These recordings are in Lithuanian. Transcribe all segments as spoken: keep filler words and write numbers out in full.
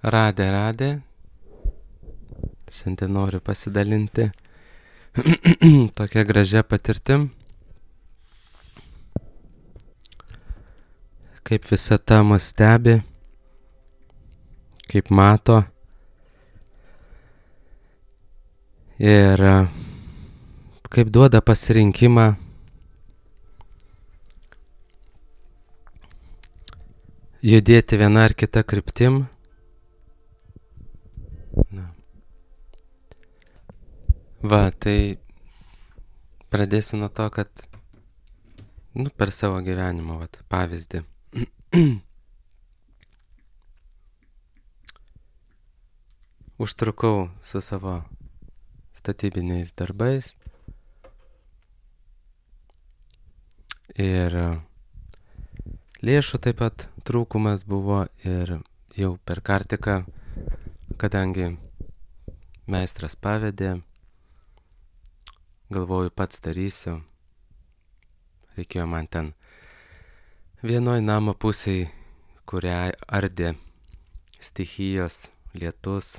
Radė, radė. Šiandien noriu pasidalinti tokia gražia patirtim, kaip visata mus stebi, kaip mato ir kaip duoda pasirinkimą judėti viena ar kita kryptim. Na. Va, tai pradėsiu nuo to, kad nu, per savo gyvenimą, vat, pavyzdį. Užtrukau su savo statybiniais darbais ir lėšų taip pat trūkumas buvo ir jau per kartiką, kadangi meistras pavedė, galvoju pats darysiu, reikėjo man ten vienoj namo pusėj, kurią ardė stichijos, lietus,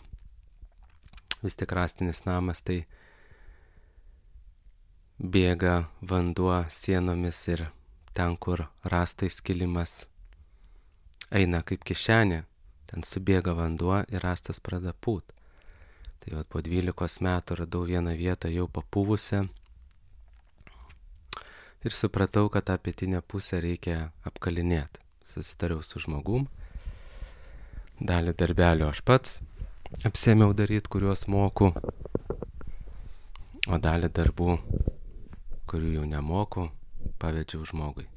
vis tik rąstinis namas, tai bėga vanduo sienomis ir ten, kur rąstai skilimas eina kaip kišenė, ten subėga vanduo ir rąstas pradeda pūt. Tai vat po dvylikos metų radau vieną vietą jau papūvusią ir supratau, kad tą pietinę pusę reikia apkalinėti. Susitariau su žmogum, dalį darbelio aš pats apsėmiau daryti, kuriuos moku, o dalį darbų, kurių jau nemoku, pavedžiau žmogui.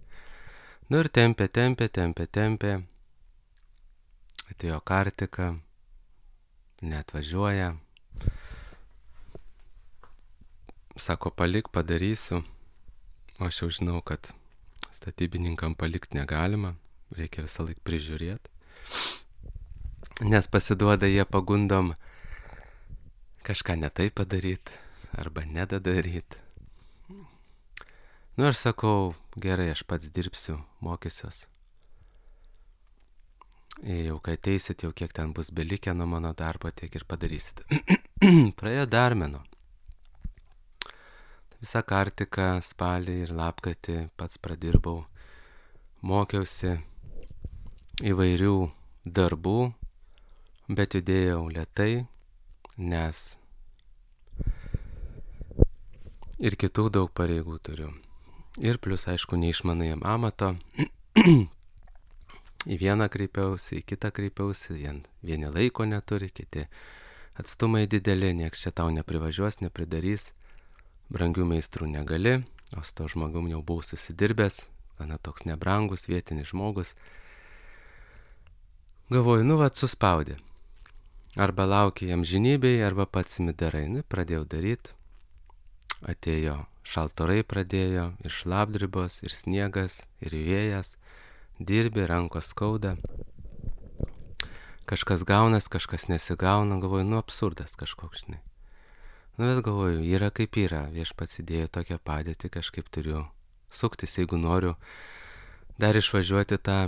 Nu ir tempė, tempė, tempė, tempė, atėjo kartika, neatvažiuoja, sako, palik, padarysiu, o aš jau žinau, kad statybininkam palikt negalima, reikia visą laik prižiūrėti, nes pasiduoda jie pagundom kažką ne taip padaryti arba nedadaryti. Nu aš sakau, gerai, aš pats dirbsiu, mokysiuos. Jau kai ateisit, jau kiek ten bus belikę nuo mano darbo, tiek ir padarysit. Praėjo dar mėnuo. Visą kartiką, spalį ir lapkritį pats pradirbau, mokiausi įvairių darbų, bet judėjau lėtai, nes ir kitų daug pareigų turiu. Ir plus, aišku, neišmanai amato. Į vieną kreipiausi, į kitą kreipiausi, vien, vieni laiko neturi, kiti atstumai dideli, nieks čia tau neprivažiuos, nepridarys, brangių meistrų negali, o su to žmogum jau buvau susidirbęs, gana toks nebrangus, vietinis žmogus. Galvoju, nu vat suspaudė, arba laukia jam žinybei, arba pats imi darai, nu pradėjau daryti, atėjo šaltorai pradėjo, ir šlapdribos, ir sniegas, ir vėjas, dirbi, rankos skauda, kažkas gaunas, kažkas nesigauna, galvoju, nu absurdas kažkoks, žinai. Nu bet galvoju, yra kaip yra, viešpats įdėjo tokią padėtį, kažkaip turiu suktis, jeigu noriu dar išvažiuoti tą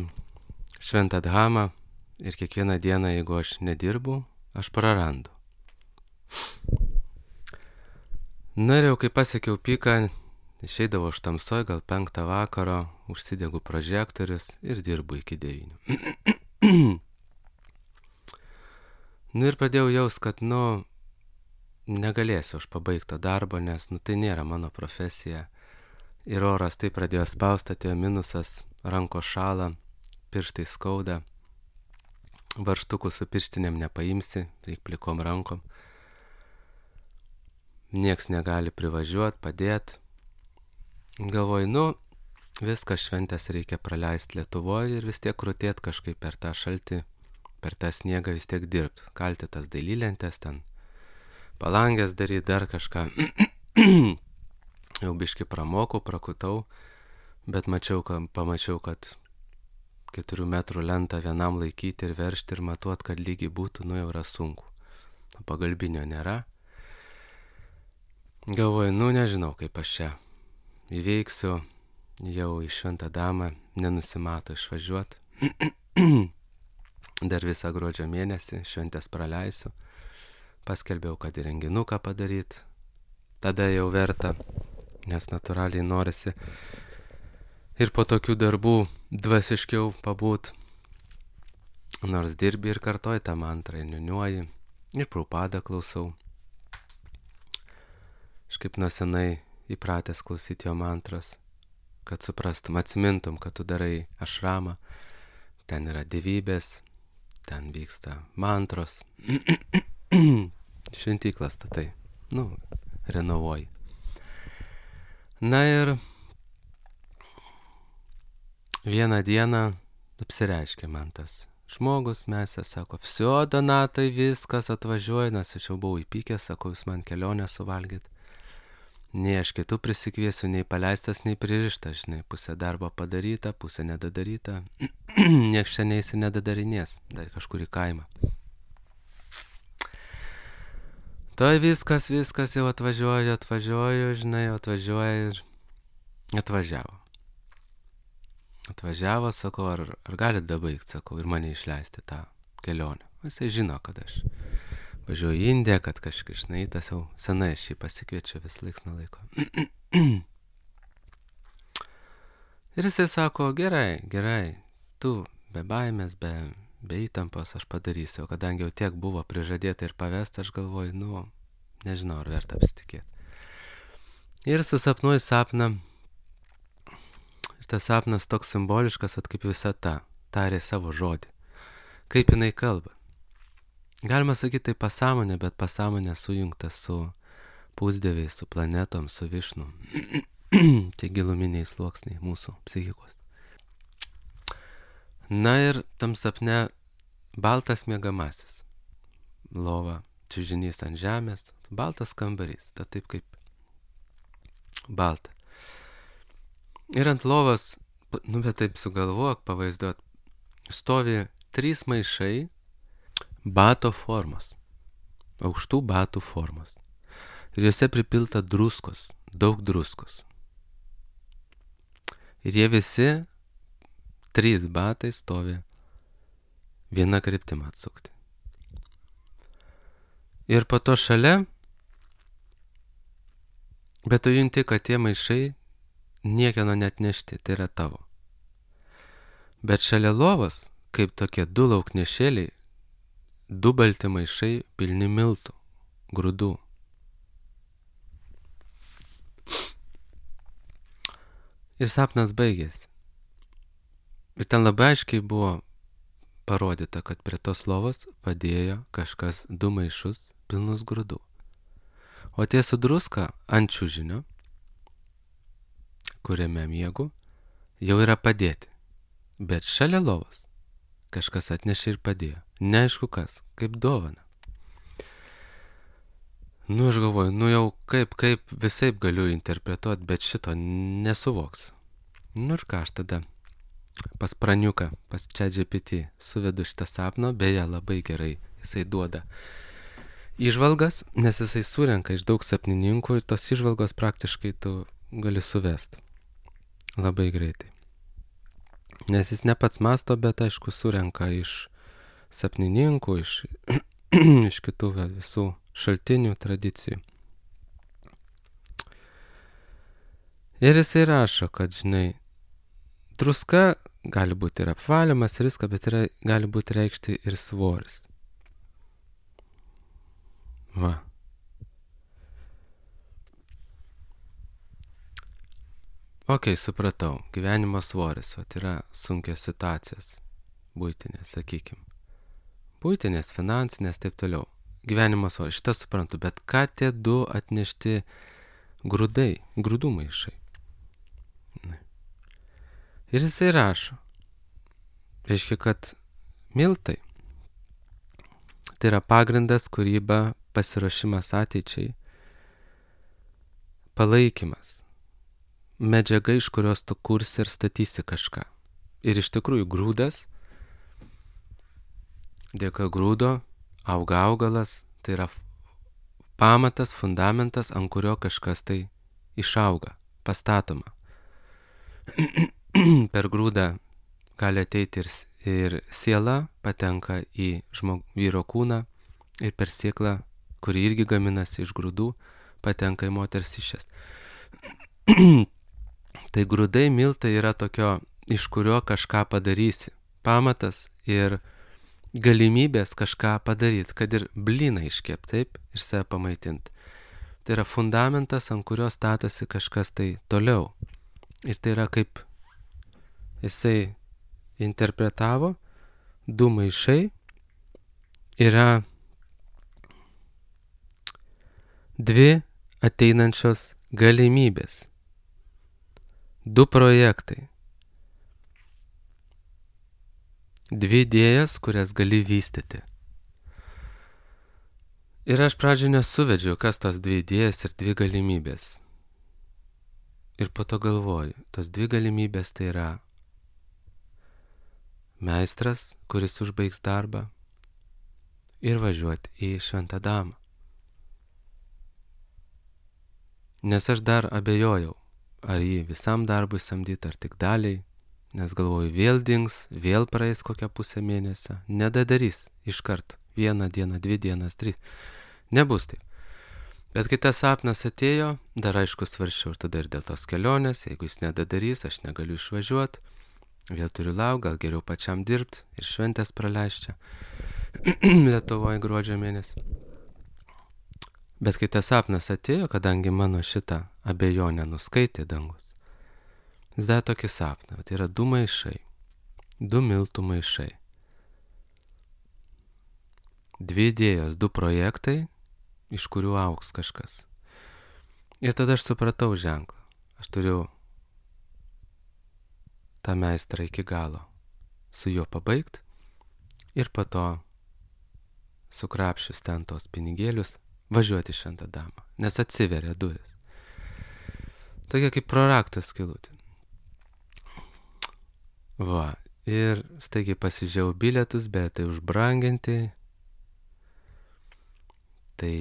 šventą dhamą ir kiekvieną dieną, jeigu aš nedirbu, aš prarandu. Na ir jau kai pasiekiau piką, išeidavau iš tamsoj, gal penktą vakaro, užsidegu prožektorius ir dirbu iki devynių. Nu ir pradėjau jaust, kad, nu, negalėsiu aš pabaigto darbo, nes, nu, tai nėra mano profesija. Ir oras tai pradėjo spausti, atėjo minusas, rankos šąla, pirštai skauda, varžtukų su pirštinėm nepaimsi, reik plikom rankom. Nieks negali privažiuot, padėt. Galvoju, nu, viskas šventės reikia praleisti Lietuvoje ir vis tiek krutėt kažkaip per tą šaltį, per tą sniegą vis tiek dirbt. Kalti tas dailylentes ten, palangės daryt, dar kažką. Jau biški pramokau, prakutau, bet mačiau, kad, pamačiau, kad keturių metrų lentą vienam laikyti ir veržti ir matuot, kad lygiai būtų, nu jau yra sunku. Pagalbinio nėra. Galvoju, nu nežinau, kaip aš čia įveiksiu, jau į šventą damą nenusimato išvažiuot. dar visą gruodžio mėnesį šventės praleisiu. Paskelbiau, kad į renginuką padaryt. Tada jau verta, nes natūraliai norisi ir po tokių darbų dvasiškiau pabūt. Nors dirbi ir kartoji tą mantrą, ir niuniuoji, ir Prabhupadą klausau. Aš kaip nuo senai įpratęs klausyti jo mantras, kad suprastum, atsimintum, kad tu darai ašramą, ten yra dievybės, ten vyksta mantros, šventyklas statai, nu, renovuoji. Na ir vieną dieną apsireiškė man tas žmogus, mes sako, vsio, Donatai, viskas atvažiuoja, nes aš jau buvau įpykęs, sako, jūs man kelionę suvalgyt. Nei aš kitų prisikviesiu, nei paleistas, nei pririštas, žinai, pusė darbo padaryta, pusė nedadaryta, nieks čia neįsi nedadarinės, dar kažkur į kaimą. Toj viskas, viskas jau atvažiuoju, atvažiuoju, žinai, atvažiuoja ir atvažiavo. Atvažiavo, sakau, ar, ar galit dabaigt, sakau, ir mane išleisti tą kelionę. Jisai žino, kad aš važiuoju į Indiją, kad kažkaip, žinai, tas jau senai aš jį pasikviečiu vis laiks nuo laiko. Ir jisai sako, gerai, gerai, tu be baimės, be, be įtampos aš padarysiu, kadangi jau tiek buvo prižadėta ir pavesta, aš galvoju, nu, nežinau, ar verta apsitikėti. Ir susapnuoju sapną. Ir tas sapnas toks simboliškas, at kaip visata, tarė savo žodį. Kaip jinai kalba. Galima sakyti, tai pasąmonė, bet pasąmonė sujungta su pusdieviais, su planetom, su Višnu. Tai giluminiai sluoksniai mūsų psichikos. Na ir tam sapne baltas miegamasis. Lova, čiužinys ant žemės, baltas kambarys, ta taip kaip balta. Ir ant lovos, nu bet taip sugalvok, pavaizduot, stovi trys maišai bato formos, aukštų batų formos. Ir juose pripilta druskos, daug druskos. Ir jie visi, trys batai stovi viena kryptim atsukti. Ir po to šalia, bet tu junti, kad tie maišai niekieno net nešti, tai yra tavo. Bet šalia lovos, kaip tokie du lauknešėliai, du balti maišai pilni miltų, grūdų. Ir sapnas baigėsi. Ir ten labai aiškiai buvo parodyta, kad prie tos lovos padėjo kažkas du maišus pilnus grūdų. O tie su druska ant čiužinio, kuriame miegu, jau yra padėti. Bet šalia lovos kažkas atnešė ir padėjo. Neaišku kas, kaip dovana. Nu, aš galvoju, nu jau kaip, kaip visaip galiu interpretuoti, bet šito nesuvoks. Nu ir ką aš tada pas praniuką, pas ChatGPT suvedu šitą sapną, beje, labai gerai jisai duoda įžvalgas, nes jisai surenka iš daug sapnininkų ir tos įžvalgos praktiškai tu gali suvest labai greitai. Nes jis ne pats masto, bet aišku surenka iš sapnininkų, iš, iš kitų visų šaltinių, tradicijų. Ir jisai rašo, kad, žinai, druska gali būti ir apvalimas, ir viską, bet yra, gali būti reikšti ir svoris. Va. Ok, supratau, gyvenimo svoris, vat yra sunkios situacijos, buitinės, sakykim. Buitinės, finansinės, taip toliau. Gyvenimo svoris, šitą suprantu, bet ką tie du atnešti grūdai, grūdų maišai? Ne. Ir jisai rašo, reiškia, kad miltai, tai yra pagrindas, kūryba, pasiruošimas ateičiai, palaikymas. Medžiaga, iš kurios tu kursi ir statysi kažką. Ir iš tikrųjų grūdas, dėka grūdo auga augalas, tai yra pamatas, fundamentas, ant kurio kažkas tai išauga, pastatoma. Per grūdą gali ateiti ir, ir siela patenka į žmog, vyro kūną ir per sėklą, kuri irgi gaminasi iš grūdų, patenka į moters išės. Tai grūdai, miltai yra tokio, iš kurio kažką padarysi. Pamatas ir galimybės kažką padaryti, kad ir blyną iškep, taip, ir save pamaitinti. Tai yra fundamentas, ant kurio statosi kažkas tai toliau. Ir tai yra kaip jisai interpretavo, du maišai yra dvi ateinančios galimybės. Du projektai. Dvi idėjas, kurias gali vystyti. Ir aš pradžioje nesuvedžiau, kas tos dvi idėjas ir dvi galimybės. Ir po to galvoju, tos dvi galimybės tai yra meistras, kuris užbaigs darbą, ir važiuoti į Šventą Damą. Nes aš dar abejojau, ar jį visam darbui samdyti, ar tik daliai, nes galvoju, vėl dings, vėl praeis kokią pusę mėnesio, nedadarys iškart, vieną dieną, dvi dienas, trys, nebus taip. Bet kai tas sapnas atėjo, dar aišku svarsčiau ir tada ir dėl tos kelionės, jeigu jis nedadarys, aš negaliu išvažiuoti, vėl turiu laukti, gal geriau pačiam dirbti ir šventės praleisti Lietuvoje gruodžio mėnesį. Bet kai tas sapnas atėjo, kadangi mano šitą abejonę nuskaitė dangus, jis davė tokį sapną, tai yra du maišai, du miltų maišai, dvi idėjos, du projektai, iš kurių augs kažkas. Ir tada aš supratau ženklą, aš turiu tą meistrą iki galo, su juo pabaigti ir po to sukrapšius ten tos pinigėlius, važiuoti į Šventą Damą, nes atsiveria duris. Tokia kaip proraktas skylutė. Va, ir staigiai pasižiūrėjau bilietus, bet tai užbranginti. Tai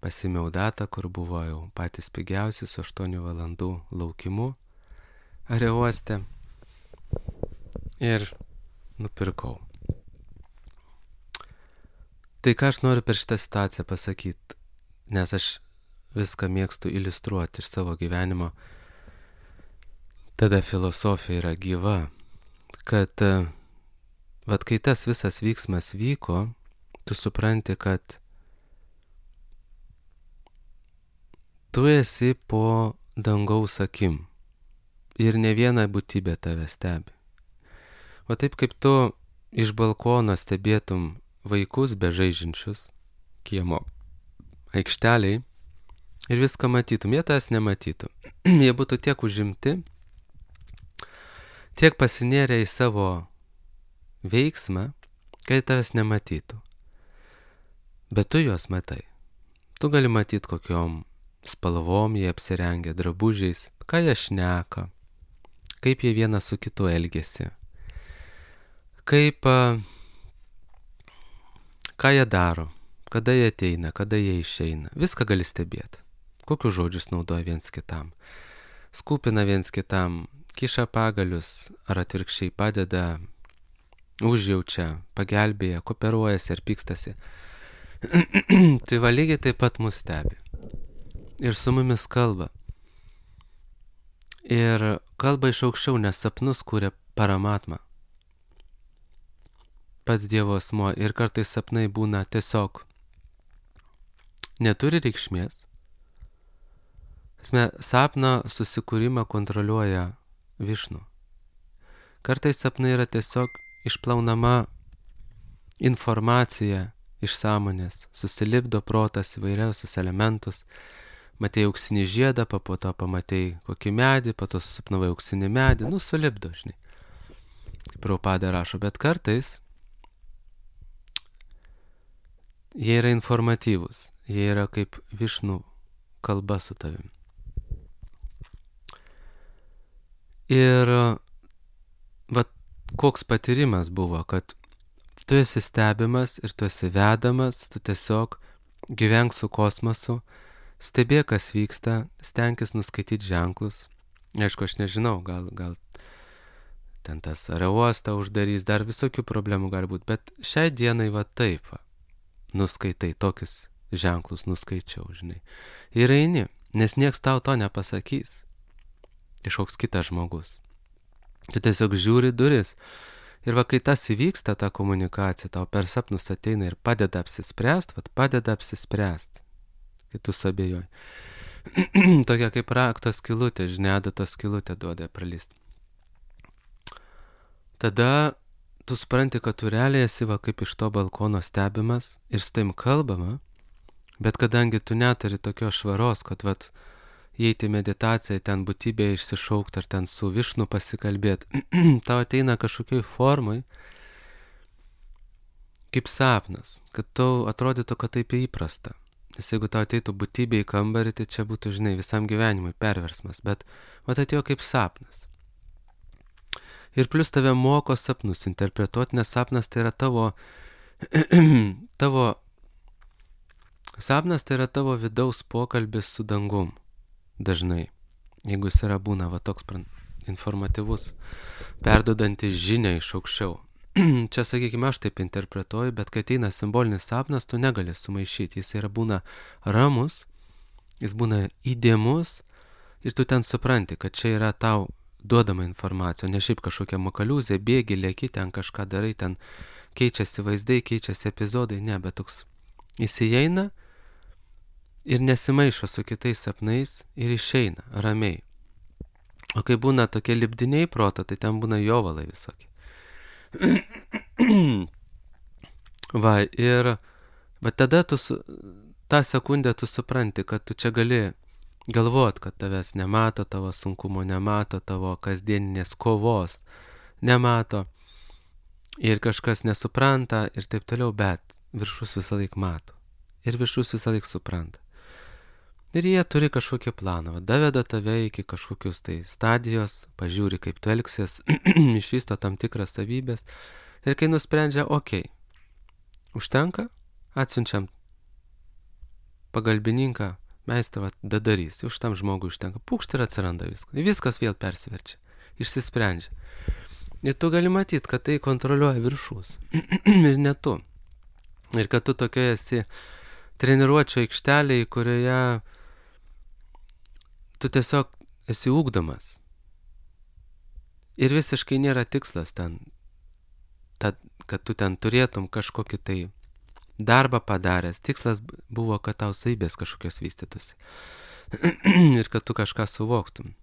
pasimiau datą, kur buvo jau patys pigiausi su aštuonių valandų laukimu aerouoste. Ir nupirkau. Tai ką aš noriu per šitą situaciją pasakyti, nes aš viską mėgstu iliustruoti iš savo gyvenimo, tada filosofija yra gyva, kad vat kai tas visas vyksmas vyko, tu supranti, kad tu esi po dangaus akim ir ne viena būtybė tave stebi. O taip kaip tu iš balkono stebėtum vaikus bežaidžiančius kiemo aikšteliai ir viską matytum, jie tas nematytų. Jie būtų tiek užimti, tiek pasinėrę į savo veiksmą, kad tavęs nematytų. Bet tu juos matai. Tu gali matyti kokiom spalvom jie apsirengę, drabužiais, ką jie šneka, kaip jie vienas su kitu elgiasi, kaip ką jie daro, kada jie ateina, kada jie išeina. Viską gali stebėti. Kokius žodžius naudoja viens kitam. Skūpina viens kitam, kiša pagalius, ar atvirkščiai padeda, užjaučia, pagelbėja, kooperuojasi ar pykstasi. Tai va lygiai taip pat mus stebi. Ir su mumis kalba. Ir kalba iš aukščiau, nes sapnus kūrė Paramatma, pats Dievo asmuo, ir kartais sapnai būna tiesiog neturi reikšmės. Esmė, sapno susikūrimą kontroliuoja Višnu. Kartais sapnai yra tiesiog išplaunama informacija iš sąmonės, susilipdo protas įvairiausius elementus. Matei auksinį žiedą, po to pamatei kokį medį, po to susapnavai auksinį medį, nu sulipdo, žinai. Prabhupada rašo, bet kartais jie yra informatyvūs, jie yra kaip Višnų kalba su tavim. Ir vat koks patyrimas buvo, kad tu esi stebimas ir tu esi vedamas, tu tiesiog gyvenk su kosmosu, stebėk, kas vyksta, stenkis nuskaityti ženklus. Aišku, aš nežinau, gal, gal ten tas aerouostą uždarys, dar visokių problemų gali būti, bet šiai dienai va taip va, nuskaitai, tokius ženklus nuskaičiau, žinai. Ir eini, nes nieks tau to nepasakys, kažkoks kitas žmogus. Tu tiesiog žiūri duris. Ir va, kai tas įvyksta, ta komunikacija, tau per sapnus ateina ir padeda apsispręst, va, padeda apsispręst, kai tu suabejoji. Tokia kaip rakto skylutė, žinai, adatos skylutė duoda pralyst. Tada tu supranti, kad tu realiai esi va kaip iš to balkono stebimas ir su taim kalbama, bet kadangi tu neturi tokios švaros, kad vat įeiti meditaciją, ten būtybę išsišaukti ar ten su Višnu pasikalbėti, tau ateina kažkokioj formai, kaip sapnas, kad tau atrodytų, kad taip įprasta. Nes jeigu tau ateitų būtybė į kambarį, tai čia būtų, žinai, visam gyvenimui perversmas, bet vat atėjo kaip sapnas. Ir plus tave moko sapnus interpretuoti, nes sapnas tai yra tavo, tavo, sapnas tai yra tavo vidaus pokalbis su dangum. Dažnai, jeigu jis yra būna va toks informatyvus, perduodantis žinią iš aukščiau. Čia, sakykime, aš taip interpretuoju, bet kai ateina simbolinis sapnas, tu negali sumaišyti. Jis yra būna ramus, jis būna įdėmus ir tu ten supranti, kad čia yra tau duodama informacija, ne šiaip kažkokia makaliuzė, bėgi, lėki, ten kažką darai, ten keičiasi vaizdai, keičiasi epizodai, ne, bet toks įsijeina ir nesimaišo su kitais sapnais ir išeina ramiai. O kai būna tokie lipdiniai proto, tai ten būna jovalai visokie. Va, ir bet tada tu, su, tą sekundę tu supranti, kad tu čia gali galvot, kad tavęs nemato, tavo sunkumo nemato, tavo kasdieninės kovos nemato ir kažkas nesupranta ir taip toliau, bet viršus visą laik mato ir viršus visą laik supranta. Ir jie turi kažkokį planą, daveda tave iki kažkokius tai stadijos, pažiūri kaip tu elgsies, išvysto tam tikras savybės ir kai nusprendžia, okei, okay, užtenka, atsiunčiam pagalbininką, meistrą dadarys, už tam žmogui užtenka, pukšt ir atsiranda viskas, viskas vėl persiverčia, išsisprendžia. Ir tu gali matyti, kad tai kontroliuoja viršus ir ne tu. Ir kad tu tokioje esi treniruočio aikštelėje, kurioje tu tiesiog esi ugdomas. Ir visiškai nėra tikslas ten, tad, kad tu ten turėtum kažkokį tai darbą padaręs. Tikslas buvo, kad tau savybės kažkokios vystytųsi. Ir kad tu kažką suvoktum.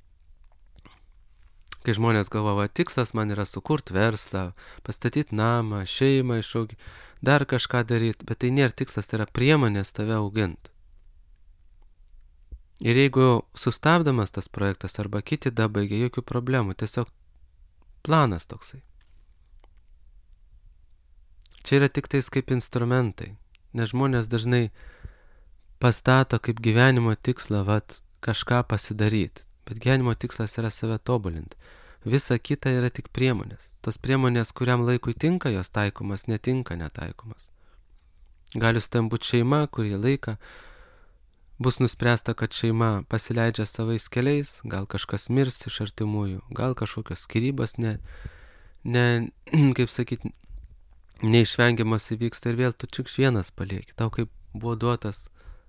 Kai žmonės galvoja, tikslas man yra sukurti verslą, pastatyti namą, šeimą išauginti, dar kažką daryti, bet tai nėra tikslas, tai yra priemonės tave auginti. Ir jeigu sustabdamas tas projektas arba kiti dabaigia, jokių problemų, tiesiog planas toksai. Čia yra tik tais kaip instrumentai, nes žmonės dažnai pastato kaip gyvenimo tikslą, vat, kažką pasidaryti, bet gyvenimo tikslas yra save tobulinti. Visa kita yra tik priemonės. Tos priemonės, kuriam laikui tinka, jos taikomas, netinka, netaikomas. Gali su tam būti šeima, kurį laiką bus nuspręsta, kad šeima pasileidžia savais keliais, gal kažkas mirs iš artimųjų, gal kažkokios skyrybos, ne, ne, kaip sakyti, neišvengiamas įvyksta ir vėl tu tik vienas palieki. Tau kaip buvo duotas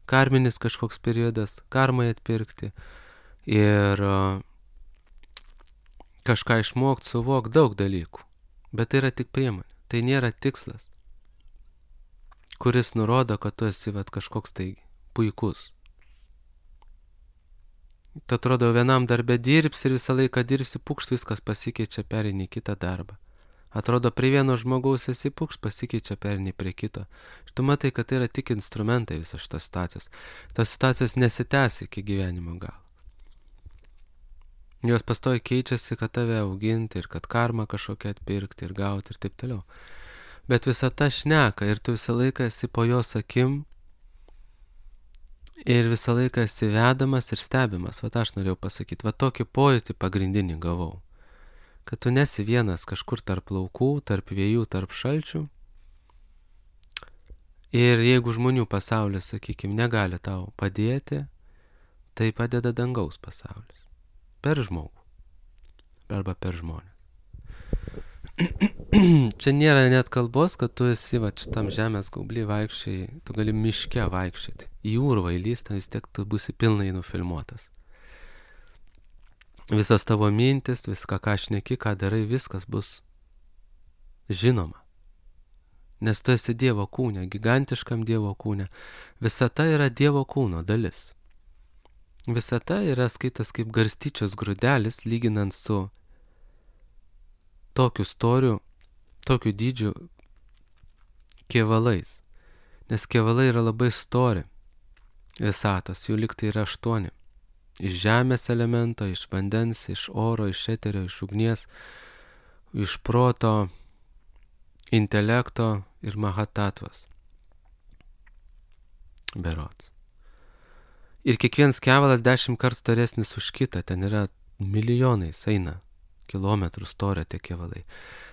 karminis kažkoks periodas, karmai atpirkti ir kažką išmokti, suvokti daug dalykų. Bet tai yra tik priemonė, tai nėra tikslas, kuris nurodo, kad tu esi vat, kažkoks tai puikus. Tu atrodo vienam darbe dirbsi ir visą laiką dirbsi, pukšt viskas pasikeičia, pereini kitą darbą. Atrodo prie vieno žmogaus esi pukšt, pasikeičia, pereini prie kito. Ir tu matai, kad tai yra tik instrumentai visos šitos situacijos. Tos situacijos nesitęs iki gyvenimo galo. Jos pastoji keičiasi, kad tave auginti ir kad karmą kažkokią atpirkti ir gauti ir taip toliau. Bet visa ta šneka ir tu visą laiką esi po jos akim ir visą laiką esi vedamas ir stebimas. Vat aš norėjau pasakyti, va tokį pojūtį pagrindinį gavau. Kad tu nesi vienas kažkur tarp laukų, tarp vėjų, tarp šalčių. Ir jeigu žmonių pasaulis, sakykime, negali tau padėti, tai padeda dangaus pasaulis. Per žmogų. Arba per žmonės. čia nėra net kalbos, kad tu esi va šitam žemės gaubly vaikščiai, tu gali miške vaikščioti. Į urvą įlysti, vis tiek tu būsi pilnai nufilmuotas. Visos tavo mintis, viską, ką šneki, ką darai, viskas bus žinoma. Nes tu esi Dievo kūne, gigantiškam Dievo kūne. Visata yra Dievo kūno dalis. Visata yra skaitas kaip garstyčios grūdelis, lyginant su tokiu storiu, tokiu dydžiu kėvalais. Nes kėvalai yra labai stori visatos, jų liktai yra aštuoni. Iš žemės elemento, iš vandens, iš oro, iš eterio, iš ugnies, iš proto, intelekto ir mahatatvas. Berods. Ir kiekvienas kevalas dešimt kartų storesnis už kitą, ten yra milijonais eina kilometrų storio tie kevalai.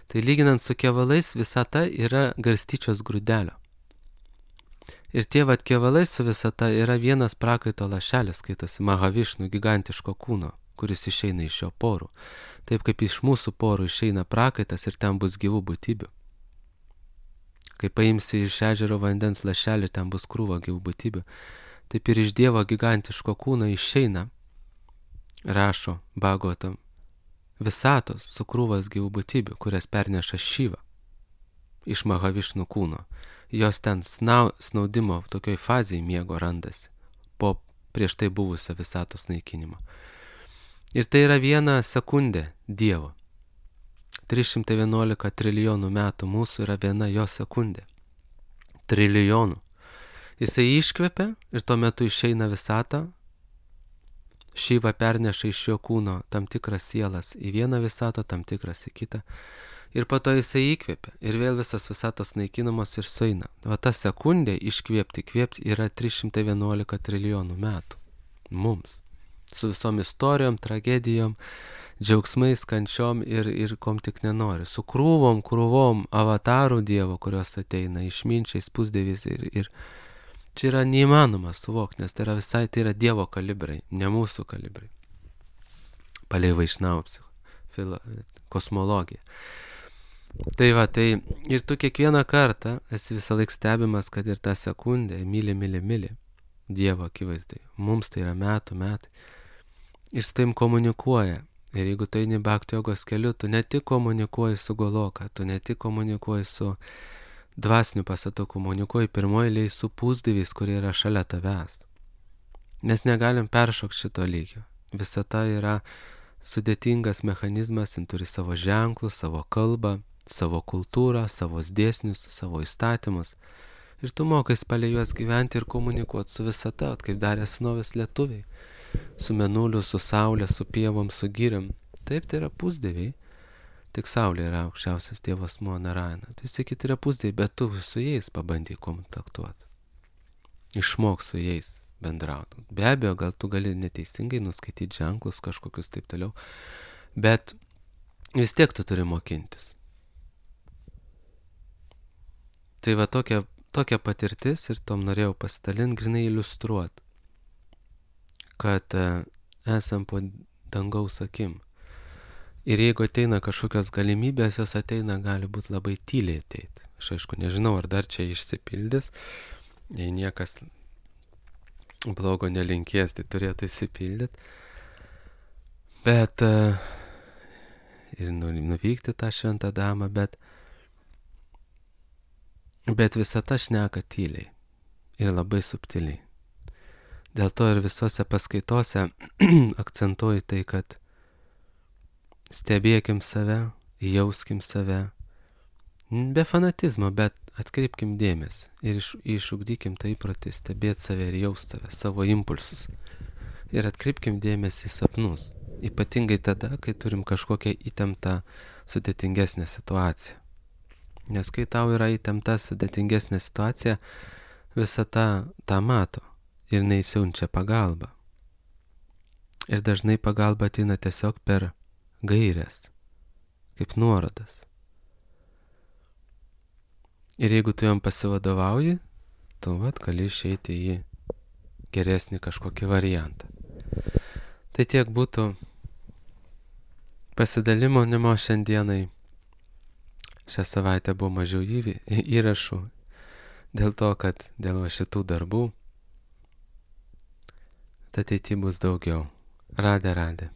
Tai lyginant su kevalais, visata yra garstyčios grūdelio. Ir tie vat kevalai su visata yra vienas prakaito lašelis, skaitasi Mahavišnu gigantiško kūno, kuris išeina iš jo porų. Taip kaip iš mūsų porų išeina prakaitas ir ten bus gyvų būtybių. Kai paimsi iš ežero vandens lašelį, ten bus krūva gyvų būtybių. Taip ir iš Dievo gigantiško kūno išeina, rašo Bhagavatam, visatos su krūvas gyvų būtybių, kurias perneša Šiva iš Mahavišnu kūno. Jos ten snau, snaudimo tokioj fazėje miego randasi po prieš tai buvusio visatos naikinimo. Ir tai yra viena sekundė Dievo. trys šimtai vienuolika trilijonų metų mūsų yra viena jo sekundė. Trilijonų. Jisai iškvepia ir tuo metu išeina visatą. Šiva perneša iš jo kūno tam tikras sielas į vieną visatą, tam tikras į kitą. Ir po to jisai įkvėpia ir vėl visas visatos naikinamos ir sueina. Va ta sekundė iškvėpti, kvėpti yra trys šimtai vienuolika trilijonų metų. Mums. Su visom istorijom, tragedijom, džiaugsmais, kančiom ir, ir kom tik nenori. Su krūvom, krūvom avatarų Dievo, kurios ateina, išminčiais, pusdieviais ir, ir čia yra neįmanoma suvokti, nes tai yra visai, tai yra Dievo kalibrai, ne mūsų kalibrai. Palei Vaišnavų kosmologiją. Tai va, tai ir tu kiekvieną kartą esi visą laik stebimas, kad ir tą sekundę myli, myli, myli Dievo akivaizdai. Mums tai yra metų, metai. Ir su taim komunikuoja. Ir jeigu tu eini bhakti jogos keliu, tu ne tik komunikuoji su Goloka, tu ne tik komunikuoji su dvasiniu pasatu, komunikuoji pirmoji eilėje su pusdieviais, kurie yra šalia tavęs. Mes negalim peršokti šito lygio. Visata yra sudėtingas mechanizmas, jin turi savo ženklus, savo kalbą, savo kultūrą, savo dėsnius, savo įstatymus. Ir tu mokais palei juos gyventi ir komunikuoti su visata, kaip darė senovės lietuviai. Su mėnuliu, su saulė, su pievom, su giriam. Taip, tai yra pusdieviai. Tik saulė yra aukščiausias Dievas asmuo Narayana. Tai sakyti yra pusdieviai, bet tu su jais pabandyk kontaktuoti. Išmok su jais bendrauti. Be abejo, gal tu gali neteisingai nuskaityti ženklus kažkokius taip toliau, bet vis tiek tu turi mokintis. Tai va tokia, tokia patirtis ir tom norėjau pasidalinti, grinai iliustruoti, kad esam po dangaus akim. Ir jeigu ateina kažkokios galimybės, jos ateina, gali būti labai tyliai ateiti. Aš aišku nežinau, ar dar čia išsipildys, jei niekas blogo nelinkės, tai turėtų išsipildyti. Bet ir nuvykti tą šventą damą, bet bet visata šneka tyliai ir labai subtiliai. Dėl to ir visose paskaitose akcentuoju tai, kad stebėkim save, jauskim save, be fanatizmo, bet atkreipkim dėmesį ir iš, išugdykim tą įprotį stebėti save ir jaust save, savo impulsus. Ir atkreipkim dėmesį į sapnus, ypatingai tada, kai turim kažkokią įtemptą, sudėtingesnę situaciją. Nes kai tau yra įtempta, sudėtingesnė situacija, visata tą mato ir neįsiunčia pagalbą. Ir dažnai pagalba ateina tiesiog per gaires, kaip nuorodas. Ir jeigu tu jam pasivadovauji, tu vat gali išeiti į geresnį kažkokį variantą. Tai tiek būtų pasidalinimo šiandienai. šią savaitę buvo mažiau įvy, įrašų dėl to, kad dėl va šitų darbų ateityje bus daugiau. Radė, radė.